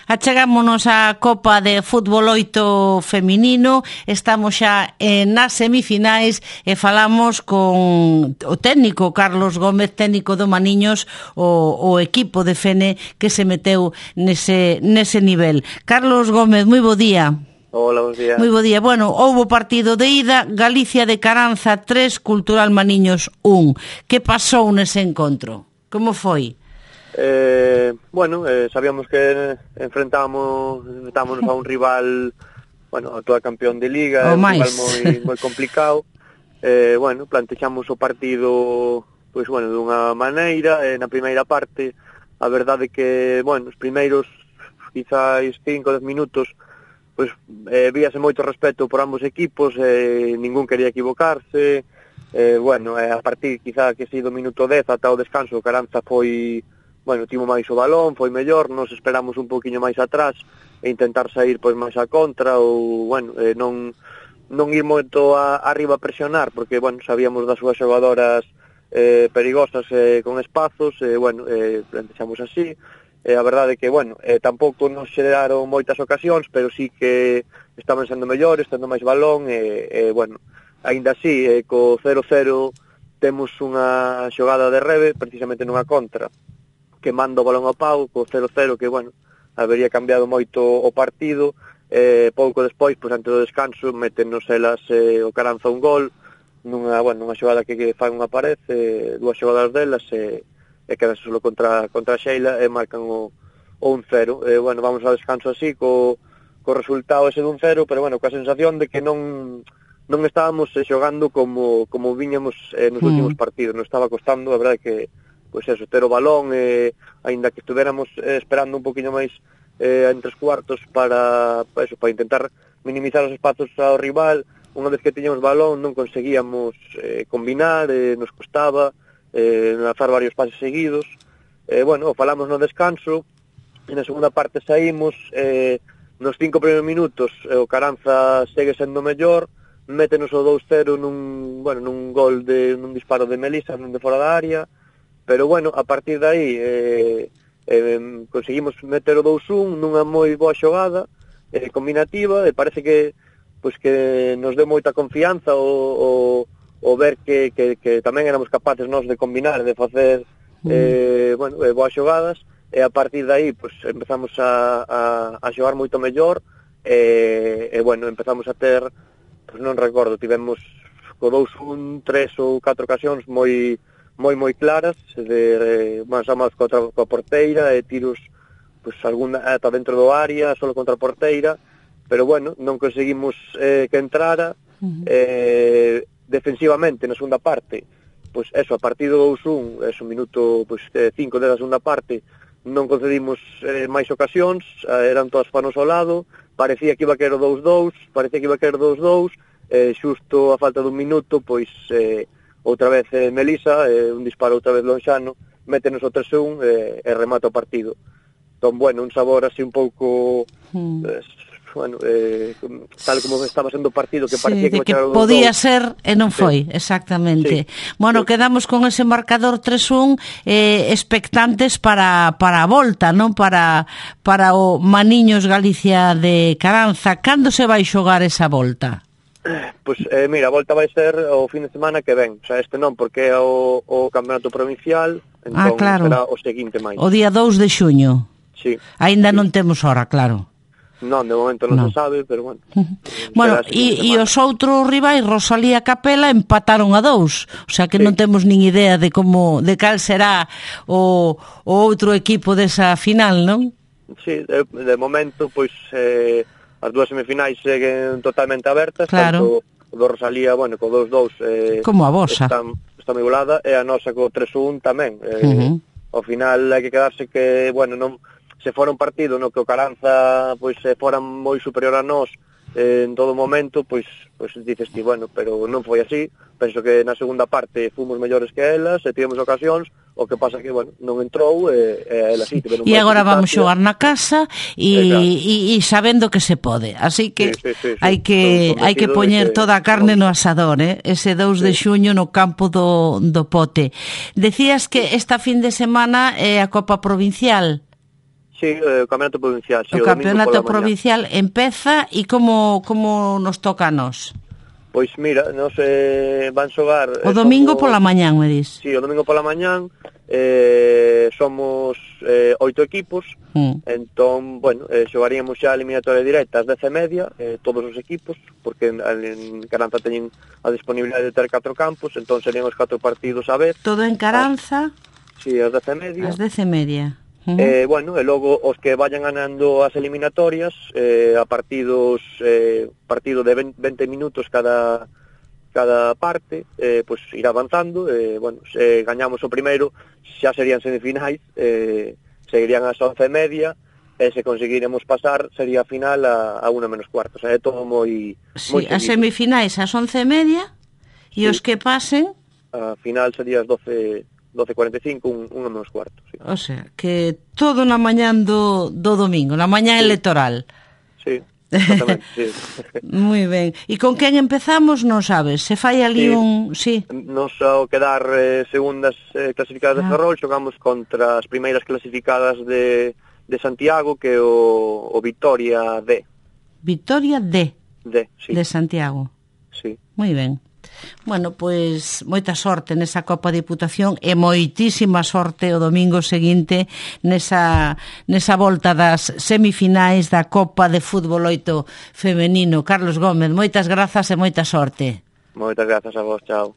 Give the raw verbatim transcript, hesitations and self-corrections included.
Achegámonos á Copa de Fútbol oito feminino, estamos xa eh, nas semifinais e falamos con o técnico Carlos Gómez, técnico do Maniños, o, o equipo de Fene que se meteu nese, nese nivel. Carlos Gómez, moi bo día. Hola, bons días. Moi bo día. Bueno, houbo partido de ida, Galicia de Caranza tres, Cultural Maniños un. Que pasou nese encontro? Como foi? Eh, bueno, eh, sabíamos que enfrentábamos, enfrentámonos a un rival, bueno, actual campeón de Liga, un rival moi, moi complicado. Eh, bueno, plantexamos o partido, pois, bueno, dunha maneira, eh, na primeira parte, a verdade que, bueno, os primeiros, quizás cinco, dez minutos, pois, eh, víase moito respeto por ambos equipos, eh, ningún quería equivocarse, eh, bueno, eh, a partir, quizá, que si do minuto dez ata o descanso, Caranza foi... Bueno, tivo máis o balón, foi mellor, nos esperamos un poquinho máis atrás e intentar sair pois máis a contra ou, bueno, eh, non non ir moito a, arriba a presionar, porque, bueno, sabíamos das súas xogadoras eh, perigosas eh, con espazos, e, eh, bueno, eh, plantexamos así, e eh, a verdade é que, bueno, eh, tampouco nos xeraron moitas ocasións, pero sí que estaban sendo mellores, tendo máis balón, e, eh, eh, bueno, aínda así, eh, co cero cero temos unha xogada de reve, precisamente nunha contra, que manda o balón ao pau, co cero cero, que, bueno, habería cambiado moito o partido, eh, pouco despois, pois, antes do descanso, metenos elas eh, o Caranza un gol, nunha, bueno, nunha xogada que, que fan unha pared, eh, dúas xogadas delas, e, e quedan solo contra, contra Sheila, e marcan o, o un cero. Eh, bueno, vamos ao descanso así, co, co resultado ese de un cero, pero, bueno, coa sensación de que non non estábamos eh, xogando como, como viñamos eh, nos mm. últimos partidos, non estaba costando, a verdade que pois eso, ter o balón, eh, aínda que estuveramos eh, esperando un poquinho máis eh, en tres cuartos para, para, eso, para intentar minimizar os espazos ao rival. Unha vez que tiñamos balón non conseguíamos eh, combinar, eh, nos costaba eh, lanzar varios pases seguidos. Eh, bueno, falamos no descanso, e na segunda parte saímos, eh, nos cinco primeiros minutos eh, o Caranza segue sendo mellor, métenos o dous cero nun, bueno, nun gol de, nun disparo de Melisa, nun de fora da área. Pero, bueno, a partir de aí eh, eh, conseguimos meter o dous un nunha moi boa xogada eh, combinativa, e parece que pois que nos deu moita confianza o, o, o ver que, que, que tamén éramos capaces nós de combinar, de facer eh, bueno, eh, boas xogadas, e a partir de aí pois, empezamos a, a, a xogar moito mellor, e, e bueno, empezamos a ter, pois non recordo, tivemos co dous un, tres ou catro ocasións moi... moi moi claras, de máis a máis contra a porteira, e tiros pois alguna ata dentro do área, solo contra a porteira, pero bueno, non conseguimos eh, que entrara. Uh-huh. eh, defensivamente na segunda parte, pois eso, a partir do dous un, es un minuto pois cinco da segunda parte, non concedimos eh, máis ocasións, eh, eran todas panos ao lado, parecía que iba a querer o dous dous, parecía que iba a querer o dous dous, eh, xusto a falta dun minuto, pois eh, outra vez eh, Melisa, eh, un disparo outra vez lonxano, métenos o tres un eh, e remata o partido. Entón, bueno, un sabor así un pouco, mm. eh, bueno, eh, tal como estaba sendo o partido, que parecía sí, que, que podía dos. ser e non foi, sí. exactamente. Sí. Bueno, sí. Quedamos con ese marcador tres un, eh, expectantes para, para a volta, non? Para, para o Maniños Galicia de Caranza. Cando se vai xogar esa volta? Pois, eh, mira, a volta vai ser o fin de semana que ven. O sea, este non, porque é o, o campeonato provincial, entón ah, claro. será o seguinte máis. O día dous de xuño. Sí. Aínda sí. non temos hora, claro. Non, de momento non, non. se sabe, pero bueno. Bueno, e, e os outros rivais, Rosalía e Capela, empataron a dous. O sea que sí. non temos nin idea de como, de cal será o, o outro equipo desa final, non? Sí, de, de momento, pois... Eh, as dúas semifinais seguen totalmente abertas, claro. tanto o do Rosalía, bueno, co dous dous eh, como a vosa está, está moi igualada, e a nosa co tres un tamén. Eh, uh-huh. Ao final hai que quedarse que, bueno, non se fora un partido no que o Caranza pois se fora moi superior a nós eh, en todo momento, pois pois dices ti, bueno, pero non foi así. Penso que na segunda parte fomos mellores que elas, e tivemos ocasións, o que pasa que, bueno, non entrou, e, e elas sí tiveron. E agora vamos xogar na casa e, e, e sabendo que se pode, así que sí, sí, sí, sí. hai que hai que poñer que... toda a carne no asador, eh? Ese dous sí. de xuño no campo do, do Pote. Decías que esta fin de semana é a Copa Provincial. Sí, o campeonato provincial. Sí, o, o campeonato provincial empeza e como, como nos toca a nós? Pois mira, nos eh, van xogar... O domingo somos... pola mañán, me dis? Sí, o domingo pola mañán eh, somos eh, oito equipos, mm. entón, bueno, eh, xogaríamos xa a eliminatoria directa ás dez e media, eh, todos os equipos, porque en, en Caranza teñen a disponibilidade de ter catro campos, entón serían os catro partidos a vez. Todo en Caranza? Ah, sí, ás dez e media. Ás dez e media. Uh-huh. Eh, bueno, e logo os que vayan ganando as eliminatorias eh, a partidos eh, partido de veinte minutos cada cada parte, eh, pues irá avanzando, eh, bueno, se gañamos o primeiro xa serían semifinais, eh, seguirían ás once e media, e se conseguiremos pasar sería a final a, a una menos cuarto, o sea, é todo moi... Sí, moi as semifinais ás once e media e sí. Os que pasen... A final sería as doce... doce e cuarenta e cinco, un, un menos cuarto. Sí. O sea, que todo na mañán do, do domingo, na mañán sí. Electoral. Sí, exactamente, sí. Moi ben. E con quen empezamos, non sabes? Se fai ali sí. un... Sí. Nos ao quedar eh, segundas eh, clasificadas ah. de Ferrol, xogamos contra as primeiras clasificadas de, de Santiago, que é o, o Victoria D. Victoria D. D, sí. De Santiago. Sí. Moi ben. Bueno, pois moita sorte nesa Copa Diputación e moitísima sorte o domingo seguinte nesa, nesa volta das semifinais da Copa de Fútbol oito femenino. Carlos Gómez, moitas grazas e moita sorte. Moitas grazas a vos, chao.